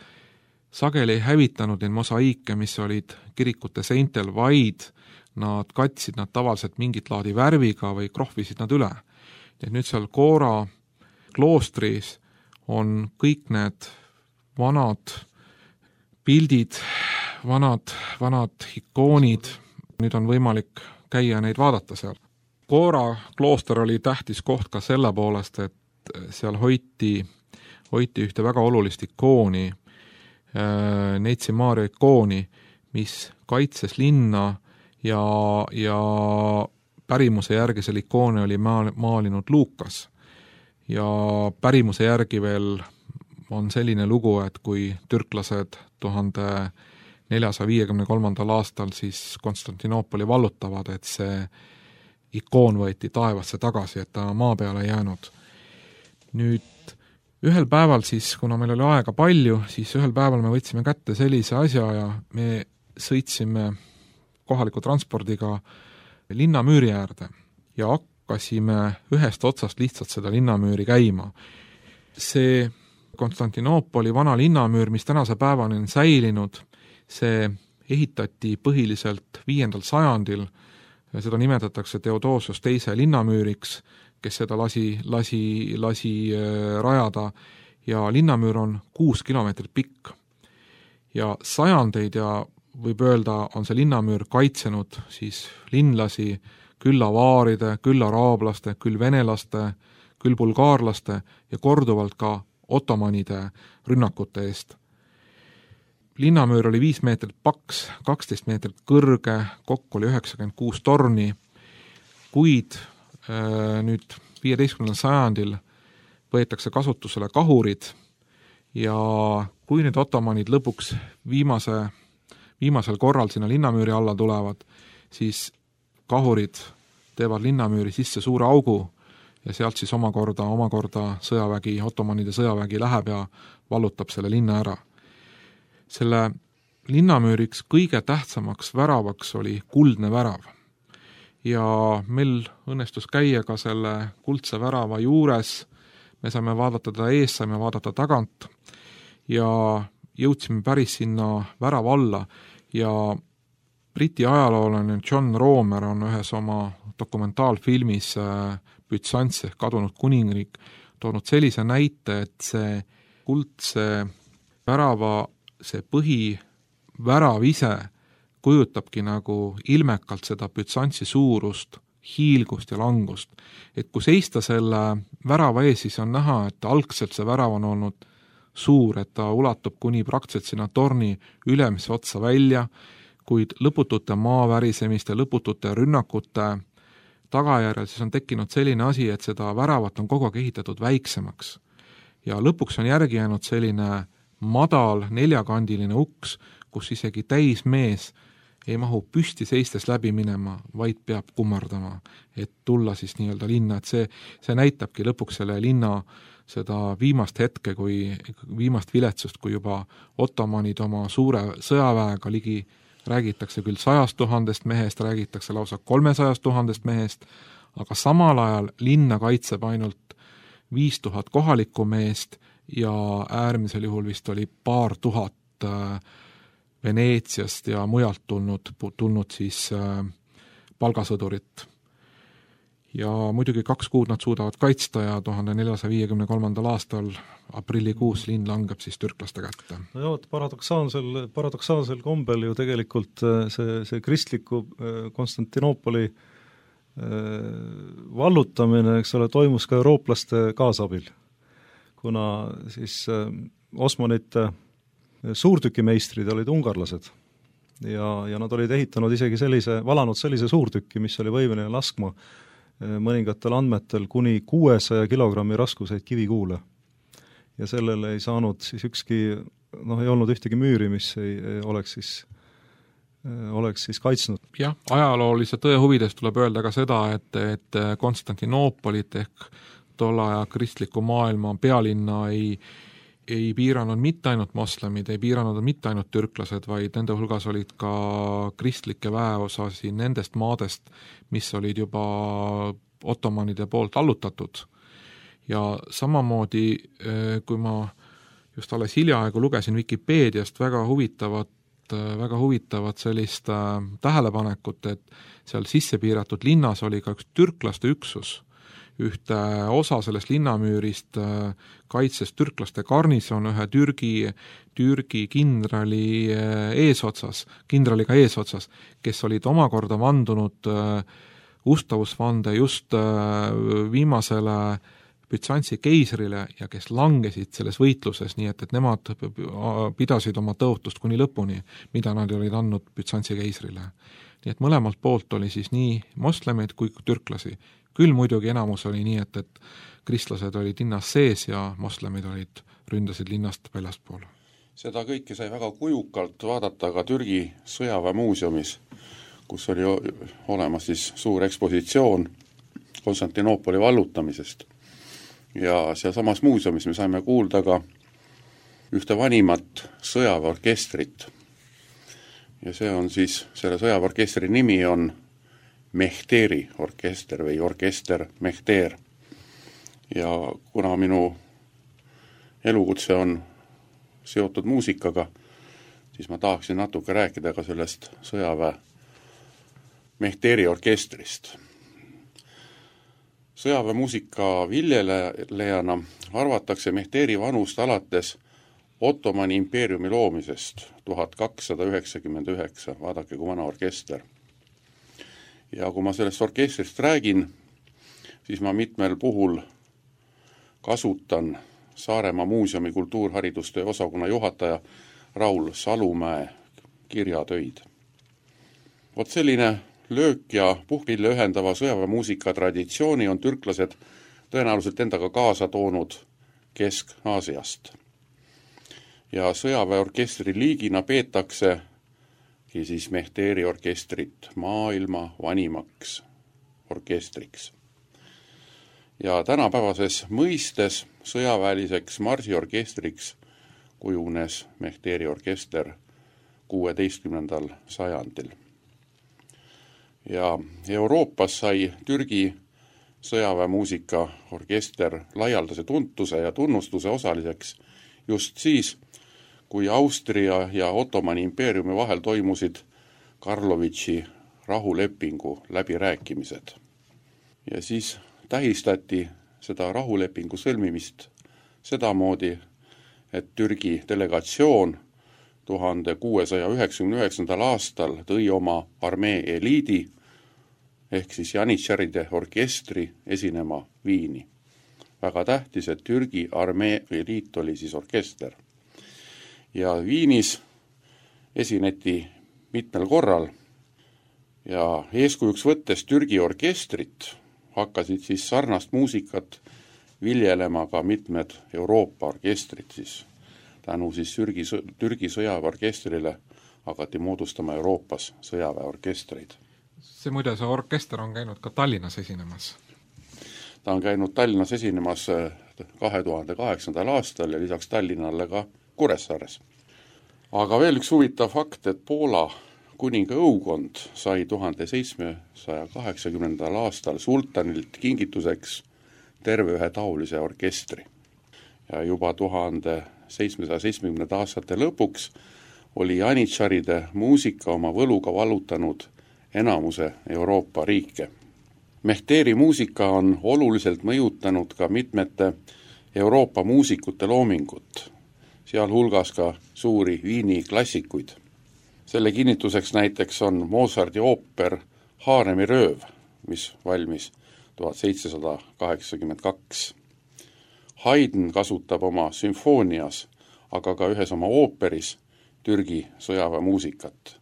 sageli ei hävitanud neid mosaiike, mis olid kirikute seintel, vaid nad katsid nad tavaliselt mingit laadi värviga või krohvisid nad üle. Et nüüd seal Kora kloostris on kõik need vanad pildid, vanad, vanad ikoonid, nüüd on võimalik käia neid vaadata seal. Kora klooster oli tähtis koht ka selle poolest, et seal hoiti, hoiti ühte väga olulist ikooni, Neitsi Maaria ikooni, mis kaitses linna ja, ja pärimuse järgi selle ikooni oli maalinud Luukas. Ja pärimuse järgi veel on selline lugu, et kui türklased tuhande neljasaja viiekümne kolmandal aastal siis Konstantinoopoli vallutavad, et see ikoon võeti taevasse tagasi, et ta maa peale jäänud. Nüüd ühel päeval siis, kuna meil oli aega palju, siis ühel päeval me võtsime kätte sellise asja ja me sõitsime kohaliku transpordiga linnamüüri äärde ja hakkasime ühest otsast lihtsalt seda linnamüüri käima. See Konstantinoopoli vana linnamüür, mis tänase päevani on säilinud, see ehitati põhiliselt viiendal sajandil, seda nimetatakse Theodosius teise linnamüüriks, kes seda lasi, lasi, lasi rajada ja linnamüür on kuus kilomeetrit pikk. Ja sajandeid ja võib öelda, on see linnamüür kaitsenud siis linlasi, küll avaaride, küll araablaste, küll venelaste, küll bulgaarlaste ja korduvalt ka ottomanide rünnakute eest. Linnamüür oli viis meetrit paks, kaksteist meetrit kõrge, kokku oli üheksakümmend kuus torni, kuid äh, nüüd viieteistkümnendal sajandil võetakse kasutusele kahurid ja kui nüüd ottomanid lõpuks viimase, viimasel korral sinna linnamüüri alla tulevad, siis kahurid teevad linnamüüri sisse suure augu ja sealt siis omakorda, omakorda sõjavägi, ottomanide sõjavägi läheb ja vallutab selle linna ära. Selle linnamüüriks kõige tähtsamaks väravaks oli kuldne värav. Ja meil õnnestus käia ka selle kuldse värava juures, me saime vaadata ta ees, saime vaadata tagant ja jõudsime päris sinna värava alla ja Briti ajaloolane John Romer on ühes oma dokumentaalfilmis Bütsants ehk kadunud kuningriik toonud sellise näite, et see kuldse värava, see põhivärav ise kujutabki nagu ilmekalt seda Bütsantsi suurust, hiilgust ja langust. Et kui seista selle värava ees, siis on näha, et algselt see värav on olnud suur, et ta ulatub kuni praktiliselt sinna torni ülemise otsa välja, kuid lõputute maavärisemiste, lõputute rünnakute tagajärjel siis on tekkinud selline asi, et seda väravat on kogu aeg ehitatud väiksemaks. Ja lõpuks on järgi jäänud selline madal neljakandiline uks, kus isegi täismees ei mahu püsti seistes läbi minema, vaid peab kummardama, et tulla siis nii-öelda linna, et see, see näitabki lõpuks selle linna seda viimast hetke, kui viimast viletsust, kui juba ottomanid oma suure sõjaväega ligi räägitakse küll sajast tuhandest mehest, räägitakse lausa kolmesajast tuhandest mehest, aga samal ajal linna kaitseb ainult viis tuhat kohalikku meest ja äärmisel juhul vist oli paar tuhat Veneetsiast ja mujalt tulnud, tulnud siis palgasõdurit. Ja muidugi kaks kuud nad suudavad kaitsta ja tuhande neljasaja viiekümne kolmandal aastal aprillikuus linn langeb siis türklaste kätte. No jah, paradoksaalsel, paradoksaalsel kombel ju tegelikult see, see kristliku Konstantinoopoli vallutamine, eks ole, toimus ka eurooplaste kaasabil, kuna siis osmanite suurtükimeistrid olid ungarlased ja, ja nad olid ehitanud isegi sellise, valanud sellise suurtüki, mis oli võimeline laskma mõningatel andmetel kuni kuuesaja kilogrammi raskuseid kivikuule. Ja sellele ei saanud siis ükski, noh ei olnud ühtegi müüri, mis ei, ei oleks siis oleks siis kaitsnud. Jah, ajaloolise tõe huvides tuleb öelda ka seda, et, et Konstantinoopolit ehk tolle aja kristliku maailma pealinna ei ei piiranud mitte ainult moslemid, ei piiranud mitte ainult türklased, vaid nende hulgas olid ka kristlikke väeosasi nendest maadest, mis olid juba ottomanide poolt allutatud. Ja samamoodi, kui ma just alles hiljaaegu lugesin Wikipeediast väga huvitavat, väga huvitavat sellist tähelepanekut, et seal sisse piiratud linnas oli ka üks türklaste üksus, ühte osa sellest linnamüürist kaitses türklaste garnison ühe Türgi, Türgi kindrali eesotsas, kindraliga eesotsas, kes olid omakorda vandunud ustavusvande just viimasele Bütsantsi keisrile ja kes langesid selles võitluses, nii et, et nemad pidasid oma tõotust kuni lõpuni, mida nad olid andnud Bütsantsi keisrile. Nii et mõlemalt poolt oli siis nii moslemid kui türklasi. Küll muidugi enamus oli nii, et, et kristlased olid linnas sees ja moslemid olid, ründasid linnast väljaspool. Seda kõike sai väga kujukalt vaadata ka Türgi sõjaväemuuseumis, kus oli olemas siis suur ekspositsioon Konstantinoopoli vallutamisest. Ja seal samas muuseumis me saime kuulda ka ühte vanimat sõjaväeorkestrit. Ja see on siis, selle sõjaväeorkestri nimi on Mehteri orkester või orkester Mehter. Ja kuna minu elukutse on seotud muusikaga, siis ma tahaksin natuke rääkida ka sellest sõjaväe Mehteri orkestrist. Sõjaväemuusika viljelejana arvatakse Mehteri vanust alates Ottomani impeeriumi loomisest tuhat kakssada üheksakümmend üheksa, vaadake kui vana orkester. Ja kui ma sellest orkestrist räägin, siis ma mitmel puhul kasutan Saaremaa muuseumi kultuurharidustöö osakonna juhataja Raul Salumäe kirjatöid. Vot selline löök ja puhkpille ühendava sõjaväemuusika traditsiooni on türklased tõenäoliselt endaga kaasa toonud Kesk-Aasiast. Ja sõjaväeorkestri liigina peetakse siis Mehteeri orkestrit maailma vanimaks orkestriks. Ja tänapäevases mõistes sõjaväeliseks marsiorkestriks kujunes Mehteeri orkester kuueteistkümnendal sajandil. Ja Euroopas sai Türgi sõjaväemuusika orkester laialdase tuntuse ja tunnustuse osaliseks just siis, kui Austria ja Ottomani impeeriumi vahel toimusid Karlovitši rahulepingu läbirääkimised. Ja siis tähistati seda rahulepingu sõlmimist sedamoodi, et Türgi delegatsioon tuhande kuuesaja üheksakümne üheksandal aastal tõi oma armee eliidi ehk siis janitšaride orkestri esinema Viini. Väga tähtis, et Türgi armee eliit oli siis orkester. Ja Viinis esineti mitmel korral ja eeskujuks võttes Türgi orkestrit hakkasid siis sarnast muusikat viljelema ka mitmed Euroopa orkestrid siis. Tänu siis Türgi, Türgi sõjaväeorkestrile hakati moodustama Euroopas sõjaväeorkestreid. See muide, see orkester on käinud ka Tallinnas esinemas. Ta on käinud Tallinnas esinemas kahe tuhande kaheksandal aastal ja lisaks Tallinnale ka Kuressaares. Aga veel üks huvitav fakt, et Poola kuninga õukond sai tuhande seitsmesaja kaheksakümnendal aastal sultanilt kingituseks terve ühe taolise orkestri. Ja juba tuhande seitsmesaja seitsmekümnendate aastate lõpuks oli janitšaride muusika oma võluga valutanud enamuse Euroopa riike. Mehteeri muusika on oluliselt mõjutanud ka mitmete Euroopa muusikute loomingut, sealhulgas ka suuri Viini klassikuid. Selle kinnituseks näiteks on Mozarti ooper Haaremi rööv, mis valmis tuhat seitsesada kaheksakümmend kaks. Haydn kasutab oma sümfoonias, aga ka ühes oma ooperis Türgi sõjaväemuusikat.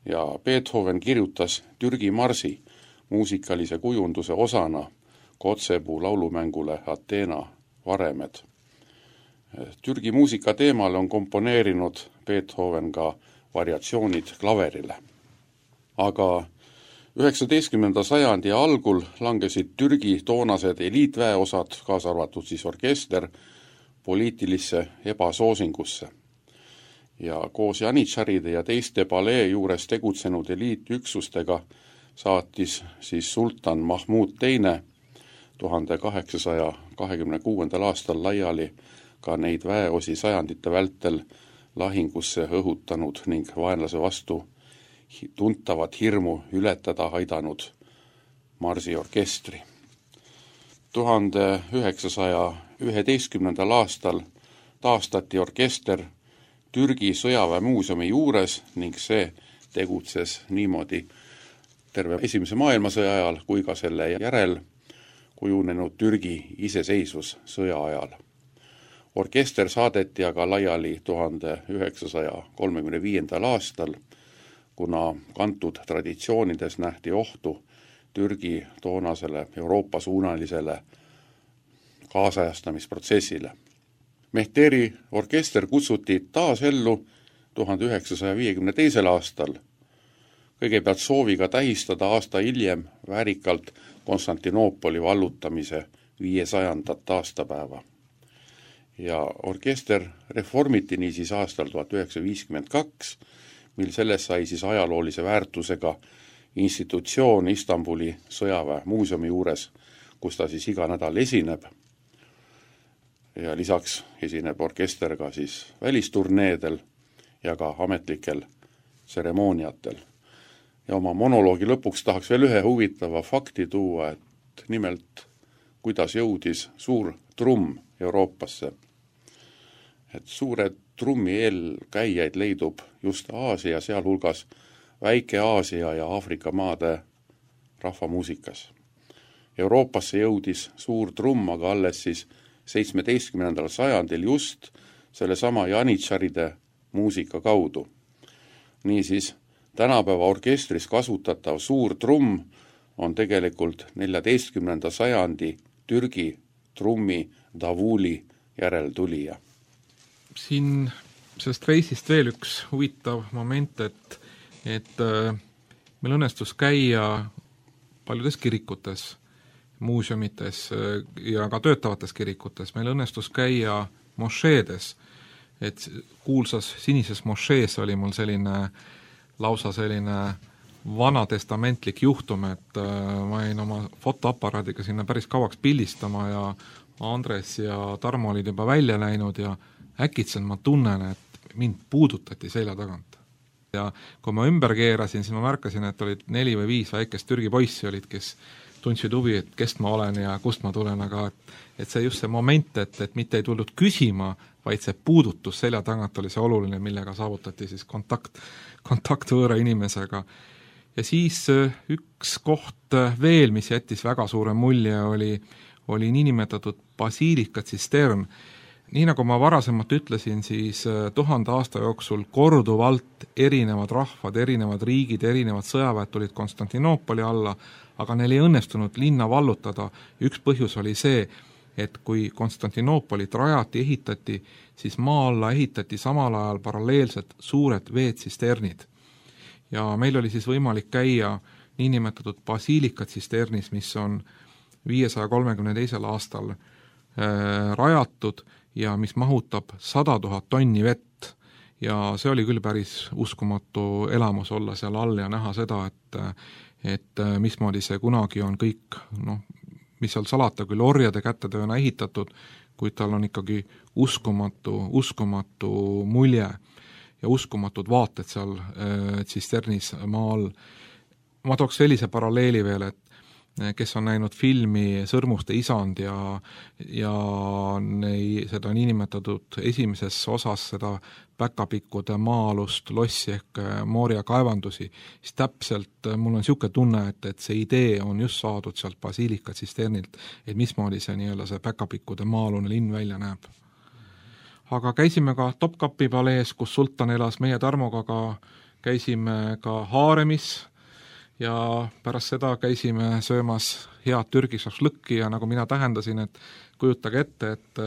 Ja Beethoven kirjutas Türgi marsi muusikalise kujunduse osana Kotzebue laulumängule Ateena varemed. Türgi muusika teemale on komponeerinud Beethoven ka variatsioonid klaverile. Aga üheksateistkümnenda sajandi algul langesid Türgi toonased eliitväeosad, kaasa arvatud siis orkester, poliitilisse ebasoosingusse. Ja koos janitšaride ja teiste palee juures tegutsenud eliitüksustega saatis siis sultan Mahmud teine tuhande kaheksasaja kahekümne kuuendal aastal laiali ka neid väeosi sajandite vältel lahingusse õhutanud ning vaenlase vastu tuntavat hirmu ületada aidanud marsiorkestri. tuhande üheksasaja üheteistkümnendal aastal taastati orkester Türgi sõjaväemuuseumi juures ning see tegutses niimoodi terve esimese maailmasõja ajal kui ka selle järel kujunenud Türgi iseseisvussõja ajal. Orkester saadeti aga laiali tuhande üheksasaja kolmekümne viiendal aastal, kuna kantud traditsioonides nähti ohtu Türgi toonasele Euroopa suunalisele kaasajastamisprotsessile. Mehteeri orkester kutsuti taas ellu tuhande üheksasaja viiekümne teisel aastal, kõigepealt sooviga tähistada aasta hiljem väärikalt Konstantinoopoli vallutamise viiesajandat aastapäeva. Ja orkester reformiti niisiis aastal tuhat üheksasada viiskümmend kaks, mil sellest sai siis ajaloolise väärtusega institutsioon Istanbuli sõjaväemuuseumi juures, kus ta siis iga nädal esineb. Ja lisaks esineb orkester ka siis välisturneedel ja ka ametlikel tseremooniatel. Ja oma monoloogi lõpuks tahaks veel ühe huvitava fakti tuua, et nimelt kuidas jõudis suur trumm Euroopasse. Et suure trummi eelkäijaid leidub just Aasia, sealhulgas Väike-Aasia ja Aafrika maade rahvamuusikas. Euroopasse jõudis suur trumm aga alles siis seitsmeteistkümnendal sajandil just selle sama janitšaride muusika kaudu. Niisiis, tänapäeva orkestris kasutatav suur trumm on tegelikult neljateistkümnenda sajandi Türgi trummi davuli järeltulija. Siin sellest reisist veel üks huvitav moment, et et meil õnnestus käia paljudes kirikutes, muuseumites ja ka töötavates kirikutes, meil õnnestus käia mošeedes, et kuulsas sinises mošees oli mul selline lausa selline vanatestamentlik juhtum, et ma jäin oma fotoaparaadiga sinna päris kauaks pildistama ja Andres ja Tarmo olid juba välja läinud ja äkitselt ma tunnen, et mind puudutati selja tagant. Ja kui ma ümber keerasin, siis ma märkasin, et olid neli või viis väikest Türgi poissi olid, kes tundsid huvi, et kest ma olen ja kust ma tulen, aga et, et see just see moment, et, et mitte ei tulnud küsima, vaid see puudutus selja tagant oli see oluline, millega saavutati siis kontakt, kontakt võõra inimesega. Ja siis üks koht veel, mis jättis väga suure mulje, oli, oli niinimetatud basiilika tsistern. Nii nagu ma varasemalt ütlesin, siis tuhande aasta jooksul korduvalt erinevad rahvad, erinevad riigid, erinevad sõjaväed tulid Konstantinoopoli alla, aga neil ei õnnestunud linna vallutada. Üks põhjus oli see, et kui Konstantinoopolit rajati, ehitati, siis maa alla ehitati samal ajal paralleelselt suured veetsisternid. Ja meil oli siis võimalik käia niinimetatud basiilika tsisternis, mis on viiesaja kolmekümne teisel aastal äh, rajatud ja mis mahutab sada tuhat tonni vett. Ja see oli küll päris uskumatu elamus olla seal all ja näha seda, et, et mismoodi see kunagi on kõik, noh, mis seal salata, küll orjade kätetööna ehitatud, kuid tal on ikkagi uskumatu, uskumatu mulje ja uskumatud vaated seal äh, tsisternis maa all. Ma tooks sellise paralleeli veel, et kes on näinud filmi Sõrmuste isand ja, ja nei, seda niinimetatud esimeses osas seda päkapikkude maa-alust lossi ehk Mooria kaevandusi, siis täpselt mul on niisugune tunne, et, et see idee on just saadud sealt basiilika tsisternilt, et mismoodi see, nii-öelda see päkapikkude maa-alune linn välja näeb. Aga käisime ka Topkapi palees, kus sultan elas, meie Tarmoga ka käisime ka Haaremis, ja pärast seda käisime söömas head Türgi šašlõkki ja nagu mina tähendasin, et kujutage ette, et,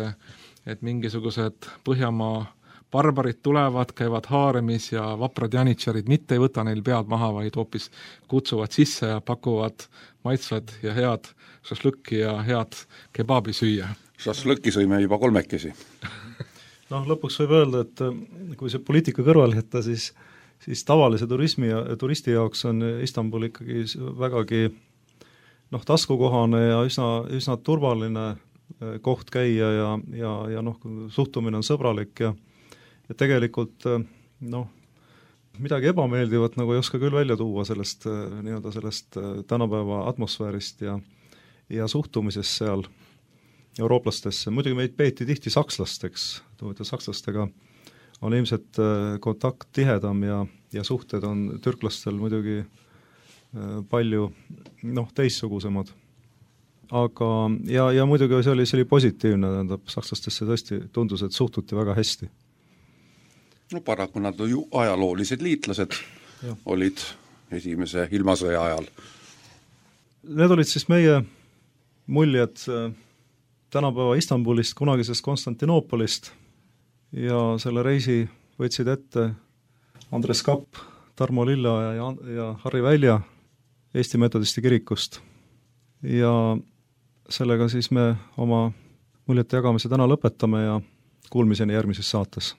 et mingisugused Põhjamaa barbarid tulevad, käivad Haaremis ja vaprad janitšarid mitte ei võta neil pead maha, vaid hoopis kutsuvad sisse ja pakuvad maitsvad ja head šašlõkki ja head kebabi süüa. Šašlõkki sõime juba kolmekesi. noh, lõpuks võib öelda, et kui see poliitika kõrval jätta, siis siis tavalise turismi ja turisti jaoks on Istanbul ikkagi vägagi noh, taskukohane ja üsna, üsna turvaline koht käia ja, ja, ja noh, suhtumine on sõbralik ja, ja tegelikult noh, midagi ebameeldivat nagu ei oska küll välja tuua sellest, nii-öelda sellest tänapäeva atmosfäärist ja, ja suhtumisest seal eurooplastesse. Muidugi meid peeti tihti sakslasteks, sakslastega on ilmselt kontakt tihedam ja, ja suhted on türklastel muidugi palju noh, teistsugusemad. Aga ja, ja muidugi see oli, see oli positiivne, tähendab, sakslastesse tõesti tundus, et suhtuti väga hästi. No paraku nad ju ajaloolised liitlased ja. Olid esimese ilmasõja ajal. Need olid siis meie muljed tänapäeva Istanbulist, kunagisest Konstantinoopolist. Ja selle reisi võtsid ette Andres Kapp, Tarmo Lilla ja, ja Harri Välja Eesti Metodisti kirikust. Ja sellega siis me oma muljete jagamise täna lõpetame ja kuulmiseni järgmises saates.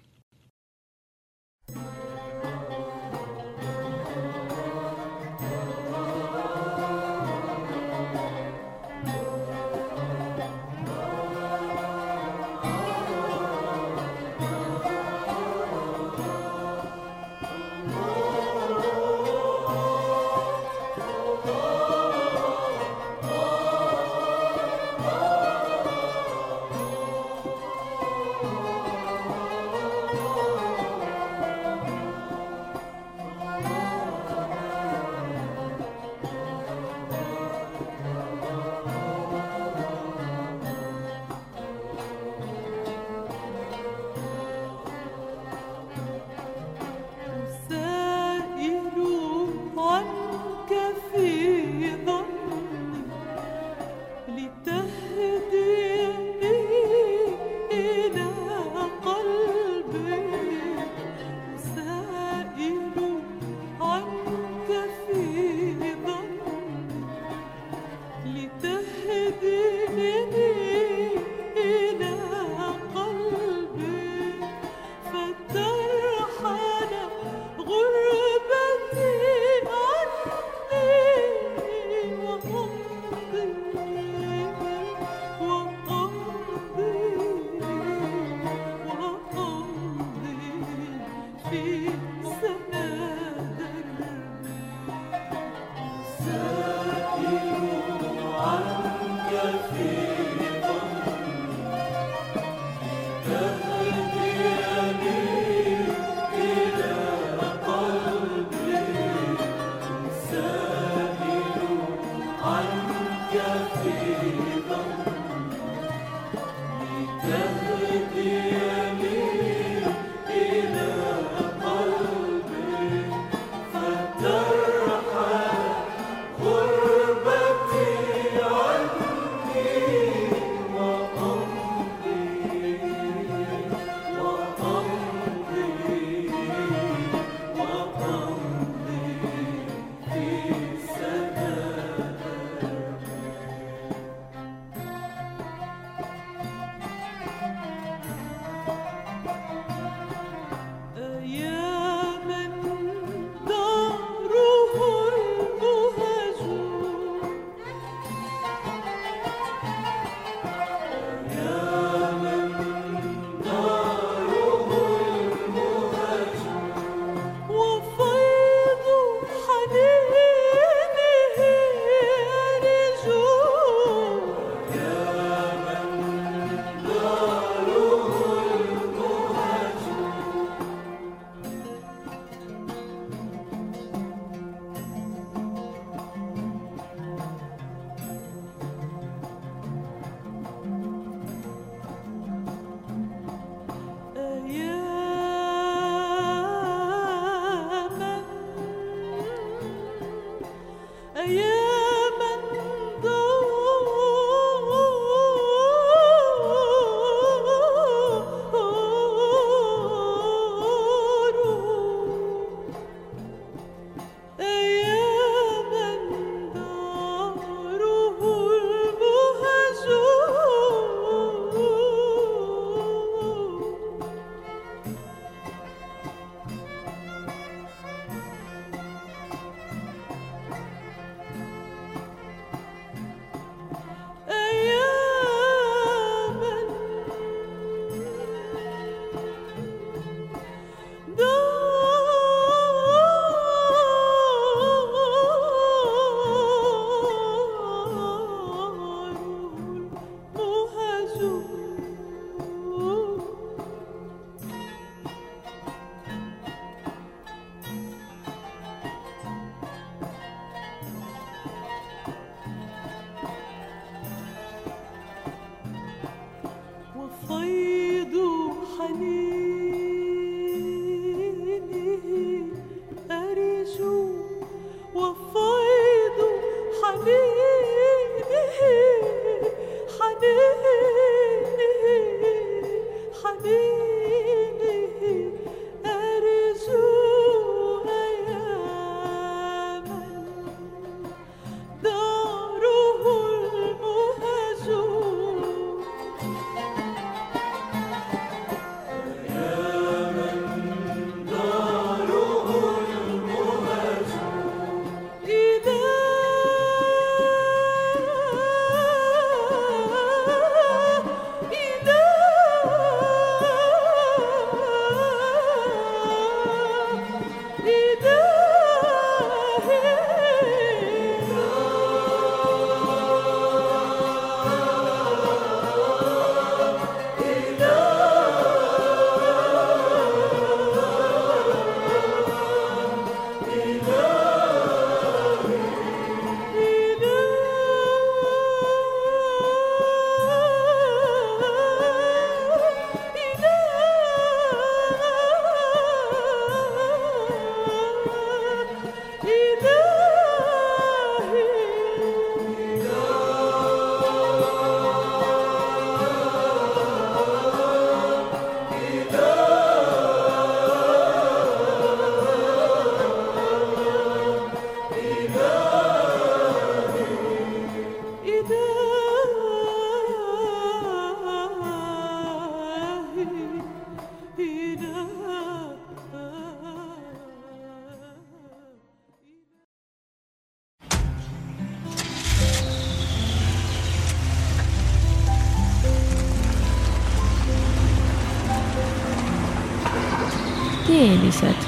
teelised